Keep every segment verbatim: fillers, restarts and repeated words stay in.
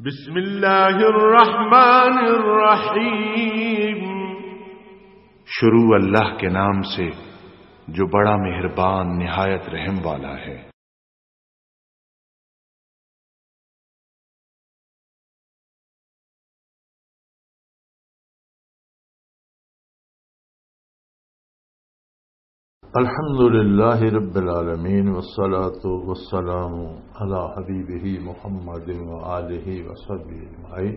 بسم اللہ الرحمن الرحیم۔ شروع اللہ کے نام سے جو بڑا مہربان نہایت رحم والا ہے۔ الحمد لله رب العالمين، والصلاة والسلام على حبيبه محمد وآله وصحبه أجمعين.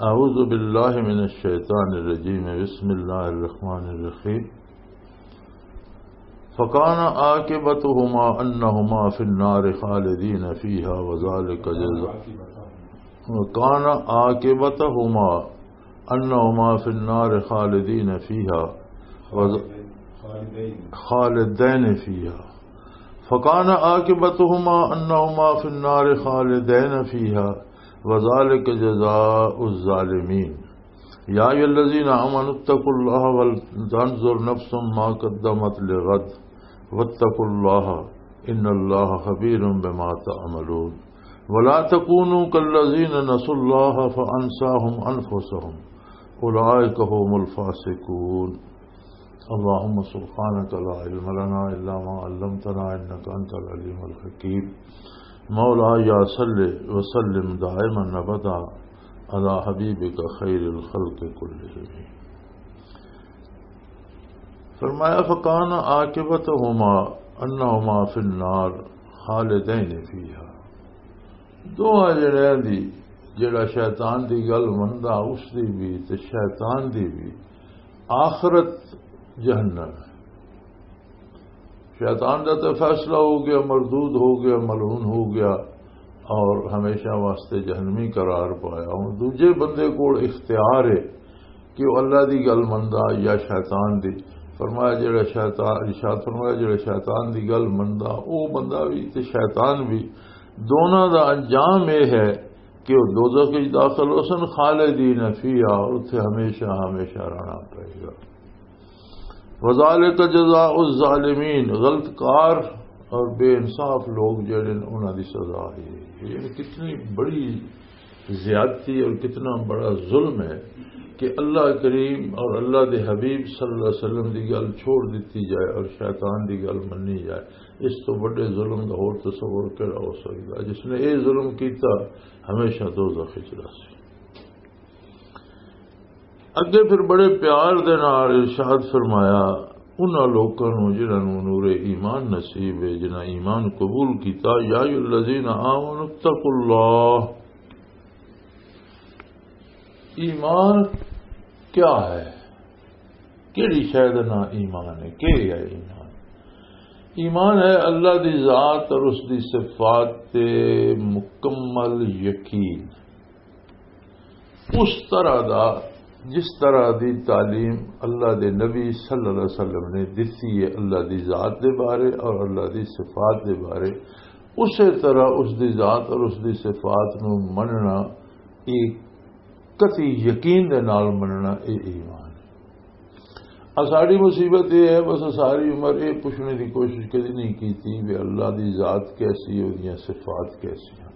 أعوذ بالله من الشيطان الرجيم. بسم الله الرحمن الرحيم. فكان عاقبتهما أنهما في النار خالدين فيها وذلك جزاء، وكان عاقبتهما أنهما في النار خالدين فيها وذ-، خالدين فيها. فكان عاقبتهما أنهما في النار خالدين فيها وذلك جزاء الظالمين. يا أيها الذين آمنوا اتقوا الله ولتنظر نفس ما قدمت لغد واتقوا الله إن الله خبير بما تعملون. ولا تكونوا كالذين نسوا الله فأنساهم أنفسهم أولئك هم الفاسقون. اللهم سبحانك لا علم لنا إلا ما علمتنا إنك أنت العليم الحكيم. مولاي صل وسلم دائما أبدا على حبيبك خير الخلق كلهم. فرمایا، فکان عاقبتہما انہما فی النار خالدین فیہا۔ دوواں جنہاں دی، جڑا شیطان دی گل مندا، اس دی بھی تے شیطان دی بھی آخرت جہنم ہے۔ شیطان دا تے فیصلہ ہو گیا، مردود ہو گیا، ملعون ہو گیا اور ہمیشہ واسطے جہنمی قرار پایا۔ ہن دوجے بندے کول اختیار ہے کہ وہ اللہ دی گل مندا یا شیطان دی۔ فرمایا جڑا شیطان، ارشاد فرمایا جڑا شیطان دی گل مندا، او بندہ بھی تے شیطان بھی، دونوں دا انجام یہ ہے کہ وہ دوزخ وچ داخل ہو سن، خالدین فیہا، اور اتھے ہمیشہ ہمیشہ رہنا پائے گا۔ وذالک جزاء الظالمین، غلط کار اور بے انصاف لوگ جڑے نے، انہاں دی سزا یہ ہے۔ یہ کتنی بڑی زیادتی اور کتنا بڑا ظلم ہے کہ اللہ کریم اور اللہ دے حبیب صلی اللہ علیہ وسلم دی گل چھوڑ دیتی جائے اور شیطان دی گل منی جائے۔ اس تو بڑے ظلم دا ہور تصور کیڑا ہو سکدا؟ جس نے یہ ظلم کیتا، ہمیشہ دوزخ وچ رہسی۔ اگے پھر بڑے پیار دے نال ارشاد فرمایا انہاں لوکاں نوں جنہاں نوں نور ایمان نصیب ہے، جنہاں ایمان قبول کیتا، یا ایھا الذین آمنوا اتقوا اللہ۔ ایمان کیا ہے؟ کیڑی شے دا نام ایمان ہے؟ کی ہے ایمان؟ ایمان ہے اللہ دی ذات اور اس دی صفات تے مکمل یقین۔ اس طرح دا، جس طرح دی تعلیم اللہ دے نبی صلی اللہ علیہ وسلم نے دتی ہے اللہ دی ذات دے بارے اور اللہ دی صفات دے بارے، اسی طرح اس دی ذات اور اس دی صفات نو مننا، ایک قطعی یقین دے نال مننا، اے ایمان ہے۔ آ ساڈی مصیبت اے ہے، بس ساری عمر اے پوچھنے دی کوشش کدی نہیں کیتی بھی اللہ دی ذات کیسی ہے، اودیاں صفات کیسی ہیں۔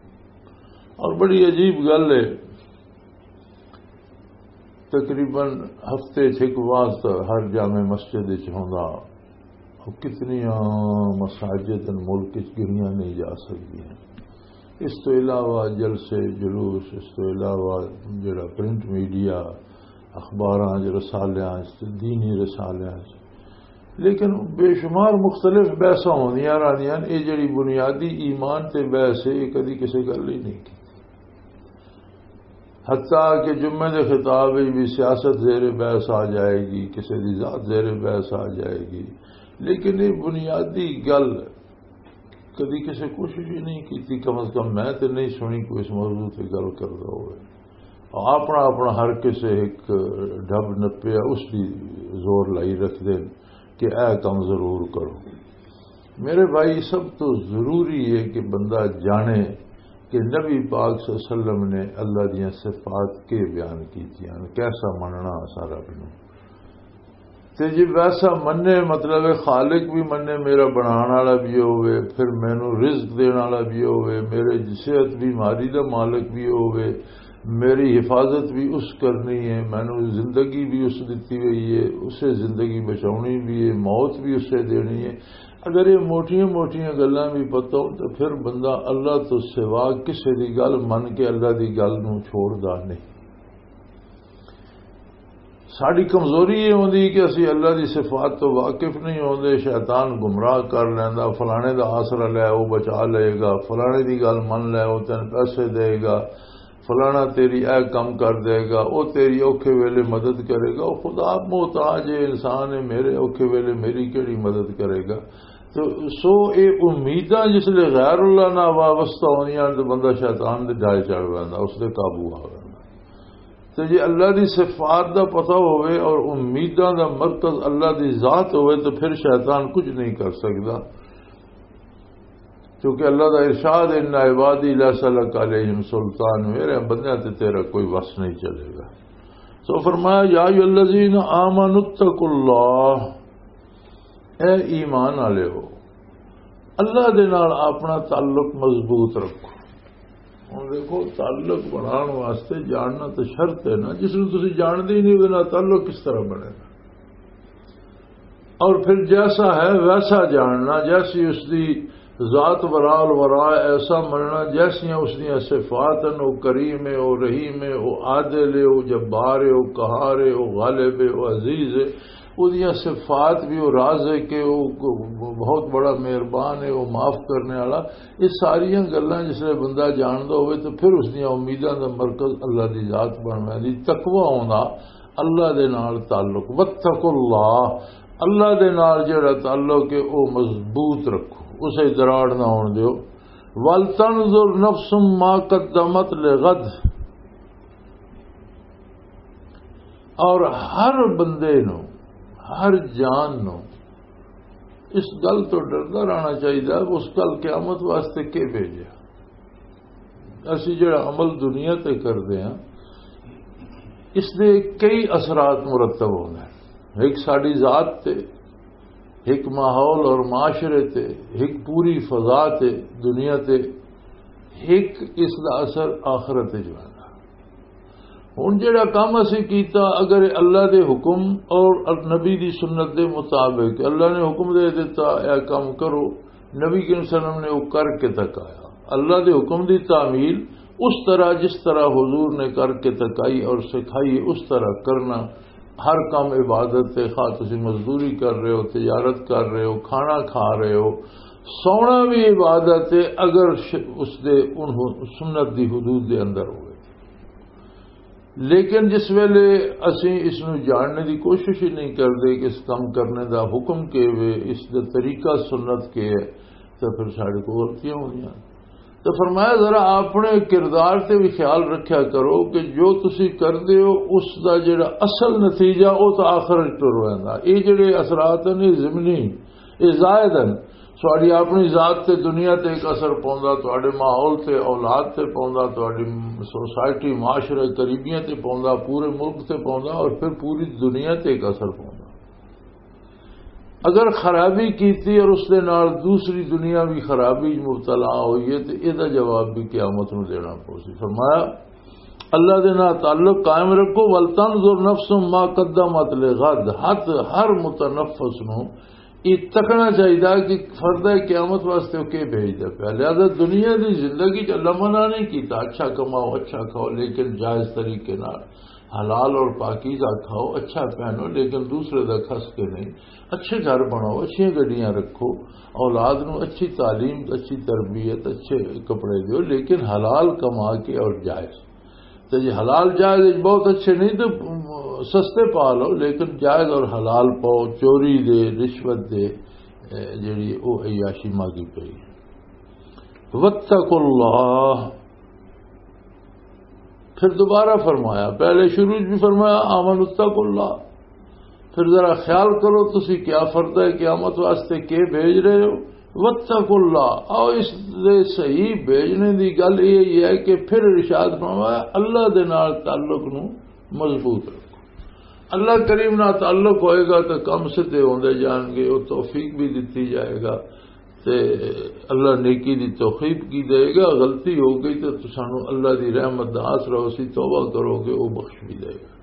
اور بڑی عجیب گل ہے، تقریباً ہفتے چ ایک وار تاں ہر جامع مسجد وچ ہوندا، اور کتنیاں مساجد ان ملک وچ گنیاں نہیں جا سکدیاں۔ اس تو علاوہ جلسے، جلوس، اس تو علاوہ جڑا پرنٹ میڈیا، اخباراں وچ، رسالیاں وچ، دینی رسالیاں وچ، لیکن بے شمار مختلف بحثاں ہوندیاں رہندیاں۔ یہ جڑی بنیادی ایمان تے بحث ہے، یہ کدی کسی گل ہی نہیں کی۔ حتیٰ کہ جمعے دے خطاب وچ بھی سیاست زیر بحث آ جائے گی، کسی دی ذات زیر بحث آ جائے گی، لیکن یہ بنیادی گل کدی کسی کوشش ہی نہیں کی۔ کم از کم میں تے نہیں سنی کوئی اس موضوع تے گل کردا ہوئے۔ اپنا اپنا ہر کسے ایک ڈب نپیا، اس دی زور لائی رکھ دین کہ اے کم ضرور کرو۔ میرے بھائی، سب تو ضروری ہے کہ بندہ جانے کہ نبی پاک صلی اللہ علیہ وسلم نے اللہ دیاں صفات کے بیان کیتیاں، کیسا مننا سارا بنو۔ تے جی ویسا منے، مطلب ہے خالق بھی منے، میرا بنان والا بھی ہووے، پھر مینوں رزق دین والا بھی ہووے، میرے صحت بیماری دا مالک بھی ہووے، میری حفاظت بھی اس کرنی ہے، مینوں زندگی بھی اس دتی ہوئی ہے، اسے زندگی بچاونی بھی ہے، موت بھی اسے دینی ہے۔ اگر یہ موٹیاں موٹیاں گلاں بھی پتہ ہو تو پھر بندہ اللہ تو سوا کسے دی گل من کے اللہ دی گل نوں چھوڑدا نہیں۔ ساڈی کمزوری یہ ہوندی کہ اسی اللہ دی صفات تو واقف نہیں ہوندے۔ شیطان گمراہ کر لیندا، فلانے دا آسرا لے، او بچا لے گا، فلانے دی گل من لے، او تین پیسے دے گا، فلانا تیری اے کم کر دے گا، او تیری اوکھے ویلے مدد کرے گا۔ او خدا محتاج ہے، انسان ہے، میرے اوکھے ویلے میری کیڑی مدد کرے گا؟ تو سو اے امیداں جس لے غیر اللہ نال وابستہ ہوندیاں تو بندہ شیطان دے ڈھائے چڑھ ویندا، اس دے قابو آ ویندا۔ تے جے اللہ دی صفات دا پتہ ہوئے اور امیداں دا مرکز اللہ دی ذات ہوئے تو پھر شیطان کچھ نہیں کر سکدا، کیونکہ اللہ دا ارشاد، "ان عبادی لیس لک علیہم سلطان"، میرے بندیاں تے تیرا کوئی وس نہیں چلے گا۔ سو فرمایا، "یا ایھا الذین آمنوا اتقوا اللہ"، اے ایمان والے ہو، اللہ دے نال اپنا تعلق مضبوط رکھو۔ ہن دیکھو، تعلق بنان واسطے جاننا تو شرط ہے نا، جس نوں تسی جانتے ہی نہیں، وہ نال تعلق کس طرح بنے گا؟ اور پھر جیسا ہے ویسا جاننا، جیسی اس دی ذات ورا الورا، ایسا مننا، جیسیاں اس دیاں صفات ہیں، وہ کریم ہے، وہ رحیم ہے، وہ عادل ہے، وہ جبار ہے، وہ قہار ہے، وہ غالب ہے، وہ عزیز ہے۔ وہ دیاں صفات بھی، وہ رازق ہے، وہ بہت بڑا مہربان ہے، وہ معاف کرنے والا۔ یہ ساریاں گلاں جس لے بندہ جاندا ہوئے تو پھر اس دیاں امیداں دا مرکز اللہ دی ذات بن ویندی۔ تقوی ہونا، اللہ دے نال تعلق۔ واتقوا اللہ، اللہ دے نال جڑا تعلق ہے، او مضبوط رکھو، اسے دراڑ نہ ہون دیو۔ ولتنظر نفس ما قدمت لغد، اور ہر بندے نو، ہر جان نو اس گل تو ڈردا رہنا چاہیے، اس گل قیامت واسطے کے بھیجا۔ اسی جڑا عمل دنیا تے کردے ہاں، اس دے کئی اثرات مرتب ہوندے ہیں۔ ایک ساڈی ذات تے، ایک ماحول اور معاشرے تے، ایک پوری فضا تے، دنیا تے، ایک اس دا اثر آخرت وچ ویندا۔ ہن جڑا کم اسی کیتا، اگر اللہ دے حکم اور نبی دی سنت دے مطابق، اللہ نے حکم دے دیتا، اے کم کرو، نبی کریم صلی اللہ علیہ وسلم نے وہ کر کے تکایا۔ اللہ دے حکم دی تعمیل اس طرح، جس طرح حضور نے کر کے تکائی اور سکھائی، اس طرح کرنا۔ ہر کم عبادت تے، خواہ تسی مزدوری کر رہے ہو، تجارت کر رہے ہو، کھانا کھا رہے ہو، سونا بھی عبادت ہے، اگر ش-، اس دے ان سنت دی حدود دے اندر ہوئے۔ لیکن جس ویلے اسی اس نو جاننے دی کوشش ہی نہیں کردے کہ اس کم کرنے دا حکم کے وے، اس دا طریقہ سنت کے ہے، تو پھر ساڈے کو غلطیاں ہوندیاں۔ تو فرمایا، ذرا اپنے کردار تے بھی خیال رکھیا کرو کہ جو تسی کردے ہو، اس دا جڑا اصل نتیجہ، او تو آخر وچ ٹر ویندا۔ اے جڑے اثرات نے ضمنی، اے زائد ہیں۔ تہاڈی اپنی ذات تے دنیا تے ایک اثر پوندا، تہاڈے ماحول تے، اولاد تے پوندا، تہاڈی سوسائٹی، معاشرے، قریبیاں تے پوندا، پورے ملک تے پوندا، اور پھر پوری دنیا تے ایک اثر پوندا۔ اگر خرابی کیتی اور اس دے نال دوسری دنیا بھی خرابی وچ مبتلا ہوئی ہے، تے اے دا جواب بھی قیامت نوں دینا پوسی۔ فرمایا، اللہ دے نال تعلق قائم رکھو، "ولتنظر نفس ما قدمت لغد"، ہر، ہر متنفس نوں یہ تکنا چاہیے کہ فرد قیامت واسطے وہ کی بھیجدا پیا۔ لہذا دنیا دی زندگی چ اللہ منع نہیں کیتا، اچھا کماؤ، اچھا کھاؤ، لیکن جائز طریقے نال حلال اور پاکیزہ کھاؤ، اچھا پہنو، لیکن دوسرے دا کھس کے نہیں۔ اچھے گھر بناؤ، اچھیاں گڈیاں رکھو، اولاد نو اچھی تعلیم، اچھی تربیت، اچھے کپڑے دیو، لیکن حلال کما کے اور جائز۔ تے جے حلال جائز وچ بہت اچھے نہیں تے سستے پا لو، لیکن جائز اور حلال پاؤ، چوری دے، رشوت دے، اے، جڑی او عیاشی ماگی پئی۔ واتقوا اللہ۔ پھر دوبارہ فرمایا، پہلے شروع وچ بھی فرمایا، "آمنوا اتقوا اللہ۔" پھر ذرا خیال کرو، تسی کیا فرد ہے قیامت واسطے کے بھیج رہے ہو؟ "واتقوا اللہ۔" آؤ، اس دے صحیح بھیجنے دی گل یہ ہے کہ پھر ارشاد فرمایا، اللہ دے نال تعلق نو مضبوط رکھو۔ اللہ کریم نال تعلق ہوئے گا تو کم سدھے ہوندے جان گے، وہ توفیق بھی دتی جائے گا۔ تے اللہ نیکی دی توفیق کی دے گا۔ غلطی ہو گئی تو سانو اللہ دی رحمت دا آسرا ہو سی، توبہ کرو گے، وہ بخش بھی دے گا۔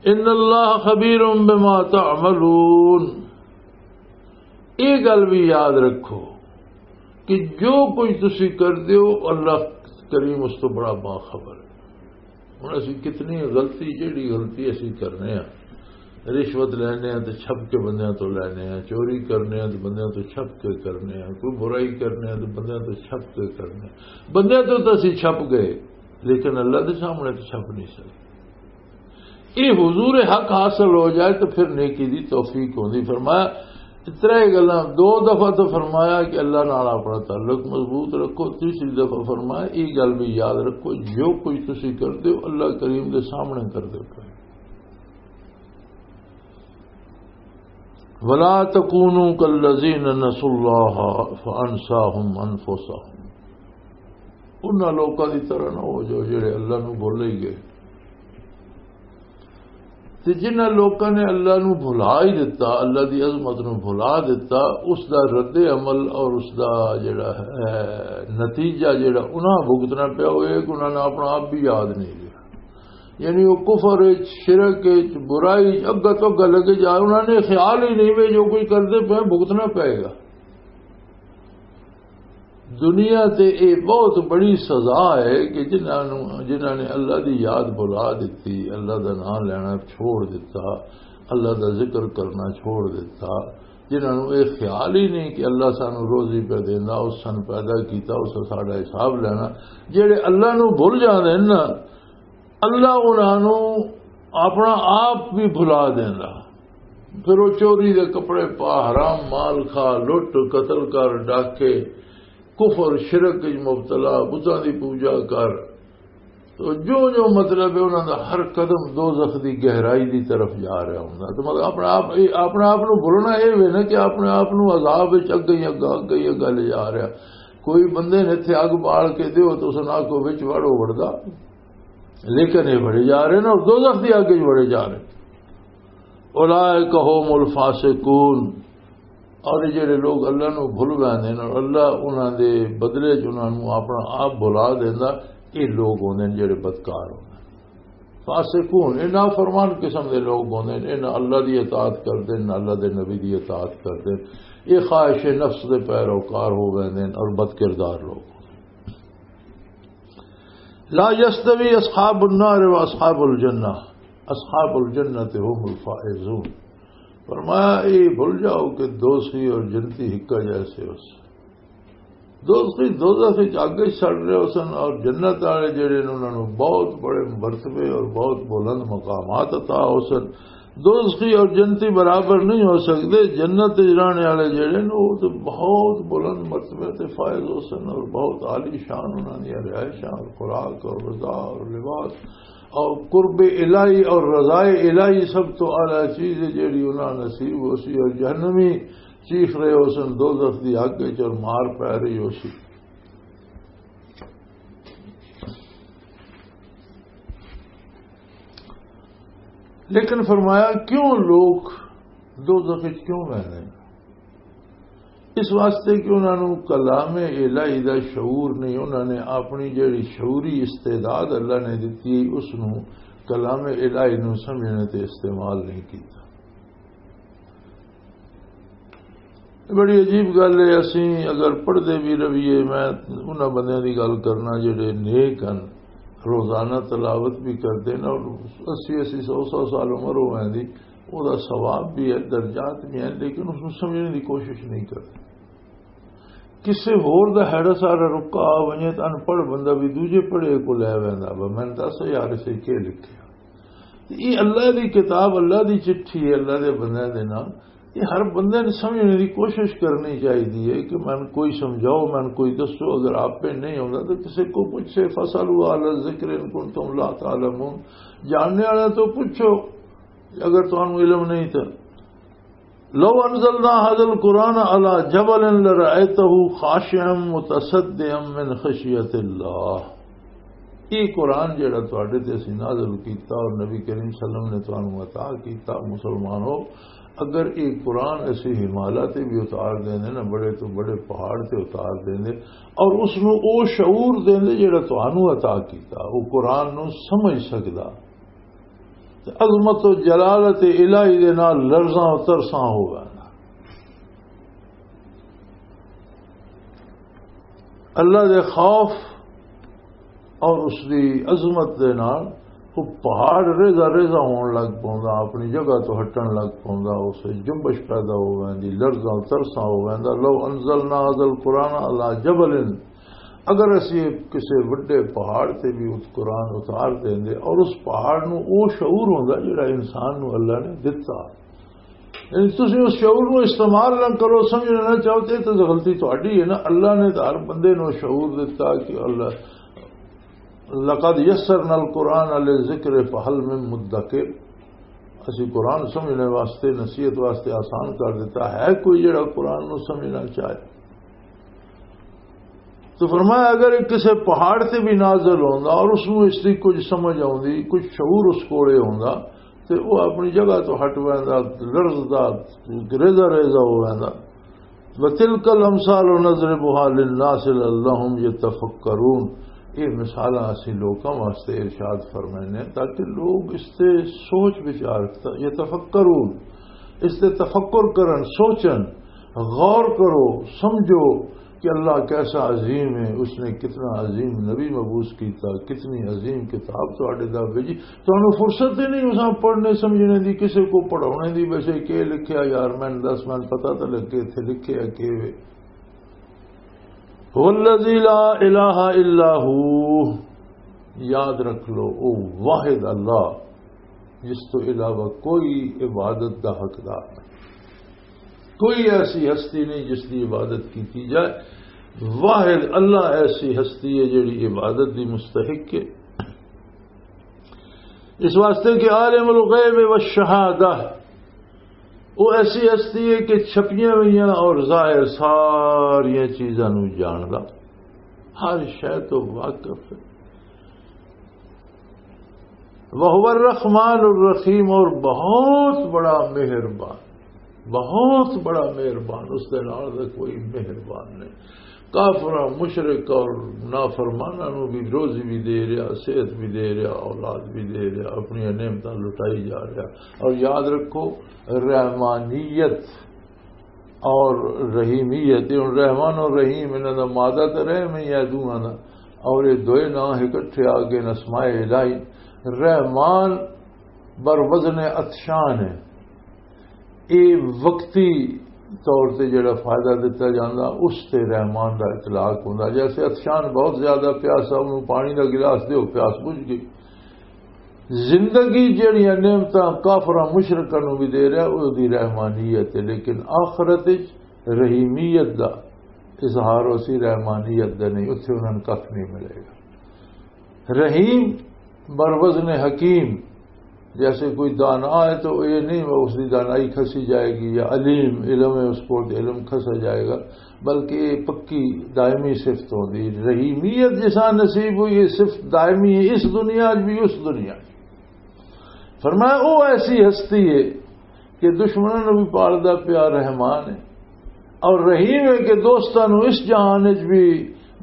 ان اللہ خبیر بما تعملون۔ یہ گل بھی یاد رکھو کہ جو کچھ تسی کر دیو، اللہ کریم اس تو بڑا باخبر ہے۔ ہن اسی کتنی غلطی، جیڑی غلطی اسی کرنے ہاں، رشوت لینے ہاں تے چھپ کے بندیاں تو لینے ہاں، چوری کرنے ہاں تے بندیاں تو چھپ کے کرنے ہاں، کوئی برائی کرنے ہاں تے بندیاں تو چھپ کے کرنے ہاں۔ بندیاں تو تاں اسی چھپ گئے، لیکن اللہ دے سامنے تو چھپ نہیں سکے۔ یہ حضور حق حاصل ہو جائے تو پھر نیکی دی توفیق ہوندی۔ فرمایا، ترے گلاں، دو دفعہ تو فرمایا کہ اللہ نال اپنا تعلق مضبوط رکھو، تیسری دفعہ فرمایا، یہ گل بھی یاد رکھو، جو کچھ تسی کردے ہو، اللہ کریم دے سامنے کردے پے۔ ولا تکونوا کالذین نسوا اللہ فانساہم انفسہم۔ انہاں لوکاں دی طرح نہ ہو جو جڑے اللہ نو بھول ہی گئے۔ تے جنہاں لوکاں نے اللہ نو بھلا ہی دتا، اللہ دی عظمت نو بھلا دتا، اس دا رد عمل اور اس دا جڑا ہے نتیجہ، جڑا انہاں بھگتنا پیا، وہ یہ کہ انہاں نے اپنا آپ بھی یاد نہیں لیا۔ یعنی وہ کفر وچ، شرک وچ، برائی وچ اگا تو اگا لگے جا، انہاں نے خیال ہی نہیں وے جو کچھ کردے پے بھگتنا پے گا۔ دنیا تے اے بہت بڑی سزا ہے کہ جنہاں نوں، جنہاں نے اللہ دی یاد بھلا دتی، اللہ دا نام لینا چھوڑ دتا، اللہ دا ذکر کرنا چھوڑ دتا، جنہاں نوں اے خیال ہی نہیں کہ اللہ سانوں روزی پہ دیندا، اس سن پیدا کیتا، اس ساڈا حساب لینا۔ جڑے اللہ نوں بھول جاندے نے نا، اللہ انہاں نوں اپنا آپ بھی بھلا دیندا۔ پھر وہ چوری دے کپڑے پا، حرام مال کھا، لٹ، قتل کر، ڈاکے، کفر، شرک وچ مبتلا، بتاں دی پوجا کر۔ تو جو جو مطلب ہے، انہاں دا ہر قدم دوزخ دی گہرائی دی طرف جا رہا ہوندا۔ تو مطلب اپنا آپ، اپنا آپ نوں بھولنا اے وے نا کہ اپنے آپ نوں عذاب وچ اگے ہی اگا، اگے ہی اگا لے جا رہا۔ کوئی بندے نے اتھے اگ بال کے دیو تو اس نال کو وچ وڑو وڑدا، لیکن یہ بڑے جا رہے ہیں اور دوزخ دی اگ وچ بڑے جا رہے ہیں۔ اولئک هم الفاسقون۔ اور یہ جڑے لوگ اللہ نو بھول ویندے نے اور اللہ انہاں دے بدلے چ انہاں نو اپنا آپ بھلا دیندا، یہ لوگ ہوندے نے جڑے بدکار ہوندے نے۔ فاسقون، یہ نافرمان قسم دے لوگ ہوندے نے، یہ نہ اللہ دی اطاعت کردے نے، نہ اللہ دے نبی دی اطاعت کردے نے، یہ خواہش نفس دے پیروکار ہو ویندے نے اور بدکردار لوگ ہوندے نے۔ لا یستوی اصحاب النار و اصحاب الجنہ، اصحاب الجنت هم الفائزون۔ فرمایا، اے بھول جاؤ کہ دوزخی اور جنتی ہکا جیسے ہو سن۔ دوزخی دوزخ وچ اگ وچ سڑ رہے ہو سن، اور جنت والے جڑے نے، انہاں نوں بہت بڑے مرتبے اور بہت بلند مقامات عطا ہو سن۔ دوزخی اور جنتی برابر نہیں ہو سکدے۔ جنت وچ رہنے والے جڑے نے، وہ تے بہت بلند مرتبے تے فائز ہو سن اور بہت عالی شان انہاں دی رہائشاں اور خوراک اور غذا اور لباس اور قرب الہی اور رضائے الہی سب تو اعلیٰ چیز ہے جڑی انہاں نصیب ہو سی۔ اور جہنمی چیخ رہے ہو سن دوزخ دی اگ وچ اور مار پے رہی ہو سی۔ لیکن فرمایا، کیوں لوگ دوزخ وچ کیوں ویندے نے؟ اس واسطے کہ انہاں نوں کلام الہی دا شعور نہیں، انہاں نے اپنی جڑی شعوری استعداد اللہ نے دتی ہے، اس نوں کلام الہی نوں سمجھنے تے استعمال نہیں کیتا۔ بڑی عجیب گل ہے، اسی اگر پڑھدے بھی رہیے، میں انہاں بندیاں دی گل کرنا جڑے نیک ہن، روزانہ تلاوت بھی کردے نے اور اسی اسی سو سو سال عمر ہو ویندی، او دا ثواب بھی ہے، درجات بھی ہیں، لیکن اس نوں سمجھنے دی کوشش نہیں کردے۔ کسے ہور دا ہیڑا سارا رکا آ ونجے تے ان پڑھ بندہ بھی دوجے پڑھے کو لے ویندا، "با میں دس یار اسے کی لکھیا؟" یہ اللہ دی کتاب، اللہ دی چٹھی ہے، اللہ دے بندے دے نال۔ یہ ہر بندے نے سمجھنے دی کوشش کرنی چاہیے کہ میں کوئی سمجھاؤ، میں کوئی دسو، اگر آپ پہ نہیں ہوندا تو کسے کو پوچھے، "فاسألوا اہل الذکر ان کنتم لا تعلمون"، جاننے والے تو پوچھو اگر تانوں علم نہیں تو۔ لو انزلنا هذا القرآن على جبل لرأيته خاشعا متصدعا من خشية الله۔ یہ قرآن جڑا تواڈے تے اسی نازل کیتا اور نبی کریم صلی اللہ علیہ وسلم نے تانوں عطا کیتا، مسلمانوں، اگر یہ قرآن اسی ہمالا تے بھی اتار دیندے نا، بڑے تو بڑے پہاڑ تے اتار دیندے، اور اس نو او شعور دیندے جڑا تانوں عطا کیتا، او قرآن نو سمجھ سکدا، تے عظمت و جلالت الہی دے نال لرزاں و ترساں ہو ویندا۔ اللہ دے خوف اور اس دی عظمت دے نال وہ پہاڑ ریزہ ریزہ ہون لگ پوندا، اپنی جگہ تو ہٹن لگ پوندا، اس وچ جنبش پیدا ہو ویندی، لرزاں ترساں ہو ویندا۔ لو انزلنا هذا القرآن على جبل، اگر اسی کسے وڈے پہاڑ تے بھی اس قرآن اتار دیندے، اور اس پہاڑ نو او شعور ہوندا جڑا انسان نو اللہ نے دتا۔ یعنی تسی اس شعور نو استعمال نہ کرو، سمجھنا نہ چاہو تے، تے غلطی تہاڈی ہے نا۔ اللہ نے تو ہر بندے نو شعور دتا کہ اللہ، لقد یسرنا القرآن للذکر فہل من مدکر۔ اسی قرآن سمجھنے واسطے، نصیحت واسطے آسان کر دیتا ہے، کوئی جڑا قرآن نو سمجھنا چاہے۔ تو فرمایا، اگر یہ کسے پہاڑ تے بھی نازل ہوندا اور اس نو اس دی کچھ سمجھ آوندی، کچھ شعور اس کولے ہوندا، تے وہ اپنی جگہ تو ہٹ ویندا، لرزدا، ریزہ ریزہ ہو ویندا۔ وَتِلْكَ الْأَمْثَالُ نَضْرِبُهَا لِلنَّاسِ لَعَلَّهُمْ يَتَفَكَّرُونَ۔ یہ مثالاں اسی لوکاں واسطے ارشاد فرمائنے تاکہ لوگ اس تے سوچ وچار، یتفکرون، اس تے تفکر کرن، سوچن، غور کرو، سمجھو کہ اللہ کیسا عظیم ہے، اس نے کتنا عظیم نبی مبعوث کیتا، کتنی عظیم کتاب تواڈے دا بھیجی۔ تانوں فرصت ہی نہیں اساں پڑھنے سمجھنے دی، کسے کو پڑھاونے دی، ویسے کہ لکھیا یار، میں دس، میں پتہ تے لگے اتھے لکھیا کہ وے۔ هو الذي لا إله إلا هو۔ یاد رکھ لو، او واحد اللہ، جس تو علاوہ کوئی عبادت دا حقدار نہیں، کوئی ایسی ہستی نہیں جس کی عبادت کی جائے۔ واحد اللہ ایسی ہستی ہے جڑی عبادت دی مستحق ہے۔ اس واسطے کہ عالم الغیب والشہادہ، وہ ایسی ہستی ہے کہ چھپیاں ہوئیاں اور ظاہر ساریاں چیزاں نو جاندا، ہر شے تو واقف ہے۔ وَهُوَ الرَّحْمَٰنُ الرَّحِيمُ، اور بہت بڑا مہربان، بہت بڑا مہربان، اس دے نال دا کوئی مہربان نہیں۔ کافراں، مشرک اور نافرماناں نو بھی روزی بھی دے رہا، صحت بھی دے رہا، اولاد بھی دے رہا، اپنی نعمتاں لٹائی جا رہا۔ اور یاد رکھو، رحمانیت اور رحیمیت، یہ ہن رحمان اور رحیم، انہاں دا مادہ تے رحم ہی ہے دوہاں دا، اور یہ دوئے ناں اکٹھے آ گئے اسماء الہی۔ رحمان بر وزن عطشان ہے، یہ وقتی طور تے جڑا فائدہ دتا جاندا، اس تے رحمان دا اطلاق ہوندا۔ جیسے عطشان بہت زیادہ پیاسا، انہوں پانی دا گلاس دیو، پیاس بجھ گئی۔ زندگی جڑیاں نعمتاں کافراں مشرکاں نوں بھی دے رہا، او دی رحمانیت ہے، لیکن آخرت وچ رحیمیت دا اظہار اسی رحمانیت دا نہیں، اتھے انہاں نوں کھ نہیں ملے گا۔ رحیم بر وزن حکیم، جیسے کوئی دانا ہے تو یہ نہیں وہ اس کی دانائی کھسی جائے گی، یا علیم علم ہے اس کو تو علم کھسا جائے گا، بلکہ یہ پکی دائمی صفت ہوندی۔ رحیمیت جسا نصیب ہوئی، یہ صفت دائمی ہے، اس دنیا وچ بھی، اس دنیا وچ۔ فرمایا، وہ ایسی ہستی ہے کہ دشمنوں نوں بھی پالدا پیا، رحمان ہے، اور رحیم ہے کہ دوستاں نوں اس جہان وچ بھی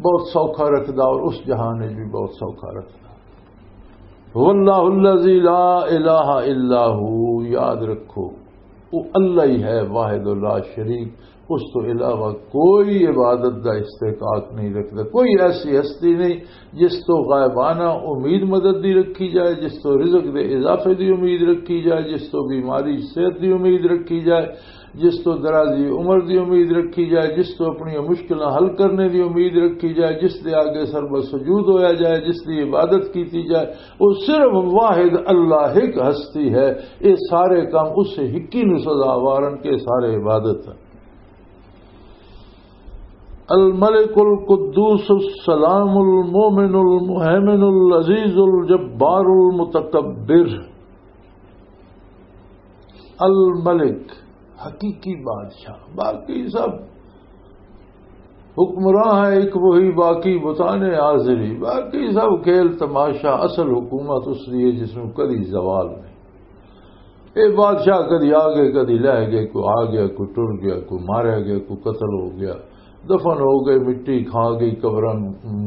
بہت سوکھا رکھدا اور اس جہان وچ بھی بہت سوکھا رکھدا۔ هو اللہ الذی لا الہ الا ہو، یاد رکھو، وہ اللہ ہی ہے، واحد و لا شریک، اس تو علاوہ کوئی عبادت دا استحقاق نہیں رکھدا، کوئی ایسی ہستی نہیں جس تو غائبانہ امید مدد دی رکھی جائے، جس تو رزق دے اضافے دی امید رکھی جائے، جس تو بیماری صحت دی امید رکھی جائے، جس تو درازی عمر دی امید رکھی جائے، جس تو اپنی مشکلاں حل کرنے دی امید رکھی جائے، جس دے آگے سر بسجود ہویا جائے، جس دی عبادت کیتی جائے، وہ صرف واحد اللہ ایک ہستی ہے۔ یہ سارے کام اس ہکی نوں سزاوار ہن کہ سارے عبادت ہن۔ الملک القدوس السلام المؤمن المہیمن العزیز الجبار المتکبر۔ الملک، حقیقی بادشاہ، باقی سب حکمراں ہے ایک وہی، باقی بتانے حاضری، باقی سب کھیل تماشا، اصل حکومت اس لیے جس میں کدی زوال نہیں۔ اے بادشاہ کدی آ گئے، کدی لہ گئے، کوئی آ گیا، کوئی ٹر گیا، کوئی ماریا گیا، کوئی قتل ہو گیا، دفن ہو گئے، مٹی کھا گئی، قبراں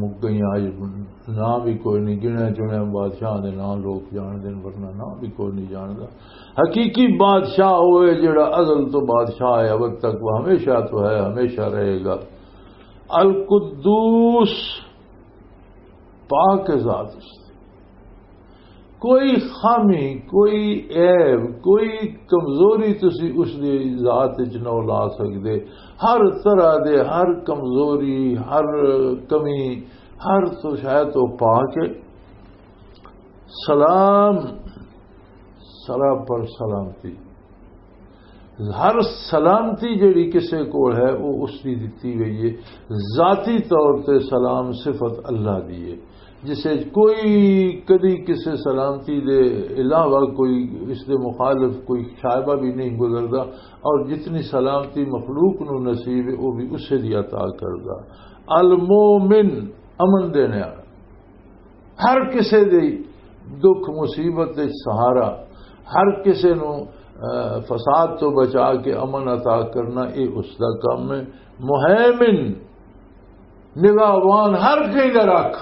مک گئیاں، اج نام بھی کوئی نہیں، گنیا چنیا بادشاہ دے نام لوگ جان دین، ورنہ نام بھی کوئی نہیں جاندا۔ حقیقی بادشاہ ہوئے جڑا ازل تو بادشاہ ہے، اب تک وہ ہمیشہ تو ہے، ہمیشہ رہے گا۔ القدوس، پاک ذات اس دی۔ کوئی خامی، کوئی عیب، کوئی کمزوری تسی اس دی ذات وچ نہ لا سکدے۔ ہر طرح دے، ہر کمزوری، ہر کمی، ہر تو شاید تو پاک ہے۔ سلام، سرا پر سلامتی۔ ہر سلامتی جڑی کسے کول ہے، وہ اس دی دتی گئی ہے۔ ذاتی طور تے سلام صفت اللہ دی ہے، جسے کوئی کدی کسے سلامتی دے علاوہ کوئی اس دے مخالف کوئی شائبہ بھی نہیں گزردا، اور جتنی سلامتی مخلوق نو نصیب ہے، وہ بھی اسے دی عطا کردا۔ المومن، امن دینے والا، ہر کسے دی دکھ مصیبت وچ سہارا، ہر کسے نو، آ، فساد تو بچا کے امن عطا کرنا، اے اس دا کم ہے۔ مہیمن، نگہبان، ہر کہیں دا رکھ،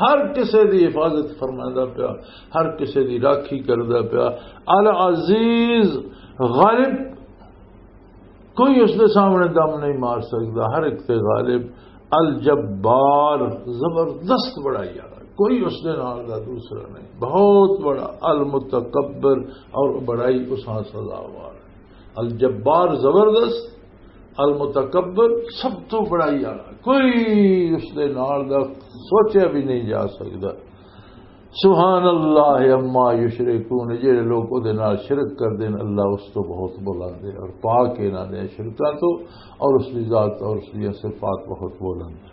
ہر کسے دی حفاظت فرماندا پیا، ہر کسے دی راکھی کردا پیا۔ العزیز، غالب، کوئی اس دے سامنے دم نہیں مار سکدا، ہر ایک تے غالب۔ الجبار، زبردست بڑائی والا، کوئی اس دے نال دا دوسرا نہیں، بہت بڑا۔ المتکبر، اور بڑائی اس ہاں سزاوار۔ الجبار زبردست، المتکبر سب تو بڑائی والا، کوئی اس دے نال دا سوچیا بھی نہیں جا سکدا۔ سبحان اللہ عما یشرکون، جڑے لوگ او دے نال شرک کر دین، اللہ اس تو بہت بلند ہے اور پاک ہے انہاں دے شرکاں تو، اور اس دی ذات اور اس دی صفات بہت بلند ہے۔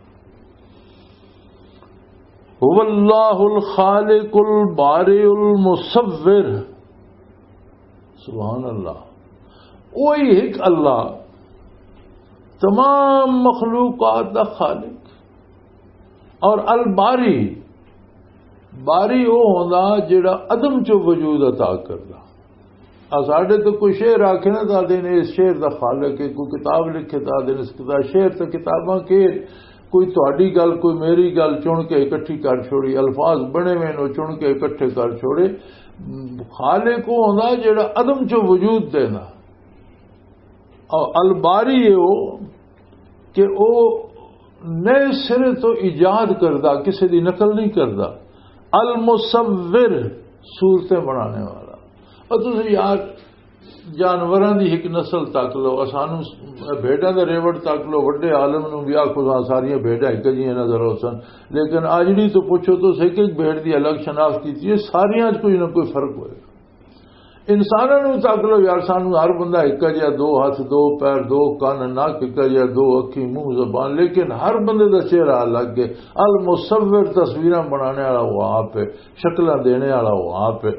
هو اللہ الخالق البارئ المصور۔ سبحان اللہ، وہی ایک اللہ، تمام مخلوقات دا خالق۔ اور الباری، باری وہ ہوندا جڑا عدم چو وجود عطا کردا۔ آ ساڈے تو کوئی شعر آکھے نا، تو آدھے نے اس شعر دا خالق ہے، کوئی کتاب لکھے تو آدھے نے اس کتاب، شعر تو کتاباں کے، کوئی تہاڈی گل، کوئی میری گل چن کے اکٹھی کر چھوڑی، الفاظ بنے ہوئے نے، چن کے اکٹھے کر چھوڑے۔ خالق وہ ہوندا جڑا عدم چو وجود دینا۔ اور الباری ہے وہ کہ وہ نئے سرے تو ایجاد کردا، کسی دی نقل نہیں کردا۔ المصور، صورتیں بنانے والا۔ اور تسی یار جانوراں دی ایک نسل تک لو، سانو بھیڈاں دے ریوڑ تک لو، وڈے عالم نو بھی آکھو ساریاں بھیڈاں ایک جیاں نظر ہو سن، لیکن آجڑی تو پوچھو تو ایک ایک بھیڈ دی الگ شناخت کیتی ہے، ساریاں وچ کوئی نہ کوئی فرق ہوئے۔ انساناں نوں تک لو یار، سانوں ہر بندہ اکا جہا، دو ہاتھ، دو پیر، دو کن، نک اکا جہا، دو اکھی، منہ، زبان، لیکن ہر بندے دا چہرہ الگ ہے۔ المصور، تصویراں بنانے والا وہ آپ ہے، شکلاں دینے والا وہ آپ ہے۔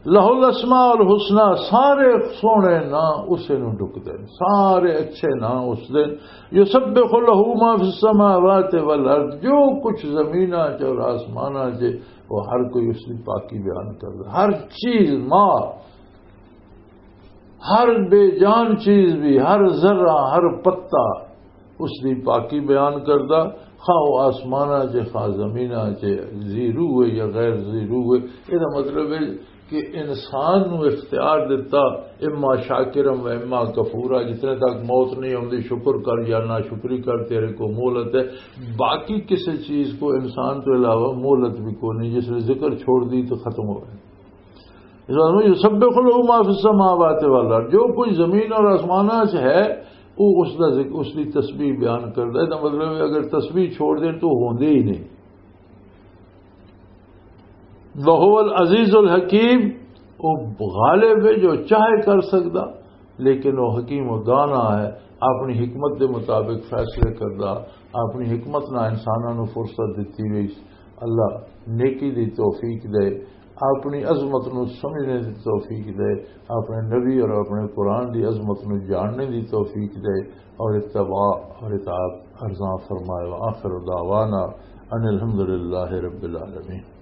لہ الاسماء الحسنی، سارے سوہنے ناں اسے نوں ڈکدے نے، سارے اچھے ناں اس دے۔ یسبح لہ ما فی السماوات والارض، جو کچھ زمیناں چ اور آسماناں چ، وہ ہر کوئی اس دی پاکی بیان کردا۔ ہر چیز، ما، ہر بے جان چیز بھی، ہر ذرہ، ہر پتا اس دی پاکی بیان کردا۔ خواہ وہ آسماناں چ، خواہ زمیناں چ، ذی روح ہے یا غیر ذی روح ہے۔ یہ مطلب ہے کہ انسان نو اختیار دتا، اما شاکرم و اما کفورا، جتنے تک موت نہیں ہوندی، شکر کر یا ناشکری کر، تیرے کو مہلت ہے۔ باقی کسی چیز کو انسان تو علاوہ مہلت بھی کوئی نہیں، جس نے ذکر چھوڑ دی تو ختم ہو گئے۔ اس واسطے یسبح لہ ما فی السماوات والارض، جو کچھ زمین اور آسماناں چ ہے، وہ اس دا ذکر، اس دی تسبیح بیان کردا ہے۔ دا مطلب ہے اگر تسبیح چھوڑ دیں تو ہوندے ہی نہیں۔ وہو العزیز الحکیم، وہ غالب ہے، جو چاہے کر سکدا، لیکن وہ حکیم و دانا ہے، اپنی حکمت دے مطابق فیصلے کردا، اپنی حکمت نال انساناں نوں فرصت دتی وی۔ اللہ نیکی دی توفیق دے، اپنی عظمت نو سمجھنے دی توفیق دے، اپنے نبی اور اپنے قرآن دی عظمت نو جاننے دی توفیق دے، اور اتباع اور اطاعت ارزاں فرمائے۔ وآخر دعوانا ان الحمدللہ رب العالمین۔